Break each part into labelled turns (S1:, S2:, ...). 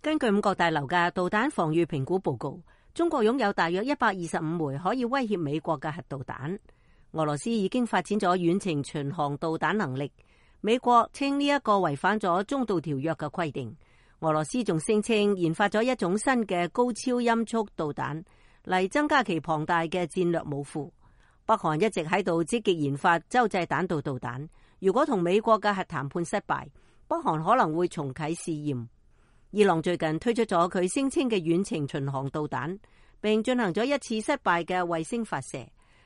S1: 根據五角大樓嘅導彈防禦評估報告，中國擁有大約125枚可以威脅美國嘅核導彈。俄羅斯已經發展咗遠程巡航導彈能力。美國稱呢一個違反咗中導條約嘅規定。俄羅斯仲聲稱研發咗一種新嘅高超音速導彈嚟增加其龐大嘅戰略武庫。北韓一直喺度積極研發洲際彈道導彈。如果同美國嘅核談判失敗，北韓可能會重啟試驗。伊朗最近推出咗佢聲稱嘅遠程巡航導彈，並進行咗一次失敗嘅衛星發射。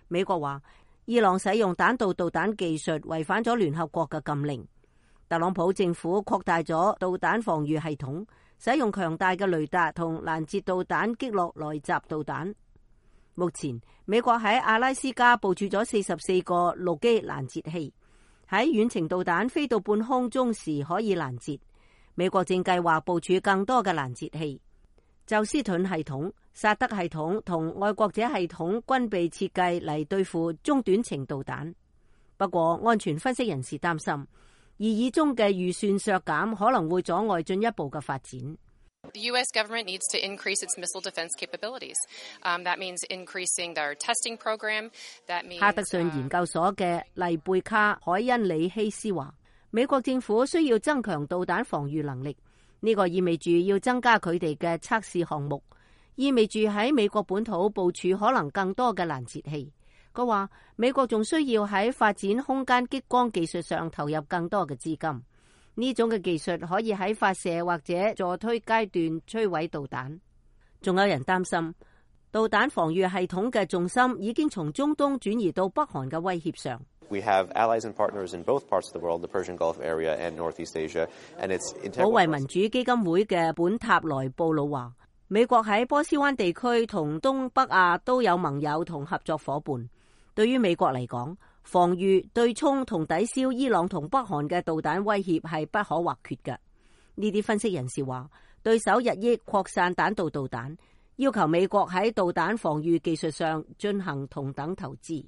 S1: 美國話伊朗使用彈道導彈技術違反咗聯合國嘅禁令。特朗普政府擴大咗導彈防禦系統，使用強大嘅雷達同攔截導彈擊落來襲導彈。目前美國喺阿拉斯加部署咗44個陸基攔截器，喺遠程導彈飛到半空中時可以攔截。美國正計劃部署更多嘅攔截器。宙斯盾系統、薩德系統同愛國者系統均被設計嚟對付中短程導彈。不過，安全分析人士擔心，擬議中嘅預算削減可能會阻礙進一步嘅發展。
S2: The U.S. government needs to increase its missile defense capabilities. That means increasing their testing program. That means
S1: 哈德遜研究所嘅麗貝卡海恩里希斯話，美國政府需要增強導彈防禦能力，呢個意味住要增加佢哋嘅測試項目，意味住喺美國本土部署可能更多嘅攔截器。佢話美國仲需要喺發展空間激光技術上投入更多嘅資金，呢種嘅技術可以喺發射或者助推階段摧毀導彈。仲有人擔心導彈防禦系統嘅重心已經從中東轉移到北韓嘅威脅上。
S3: We have allies and partners in both parts of the world, the Persian Gulf area and Northeast Asia, and it's integral.
S1: 保衛民主基金會嘅本塔萊布魯話，美國喺波斯灣地區同東北亞都有盟友同合作夥伴。對於美國嚟講，防禦、對沖同抵消伊朗同北韓嘅導彈威脅係不可或缺嘅。呢啲分析人士話，對手日益擴散彈道導彈，要求美國喺導彈防禦技術上進行同等投資。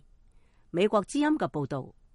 S1: 美國之音嘅報道。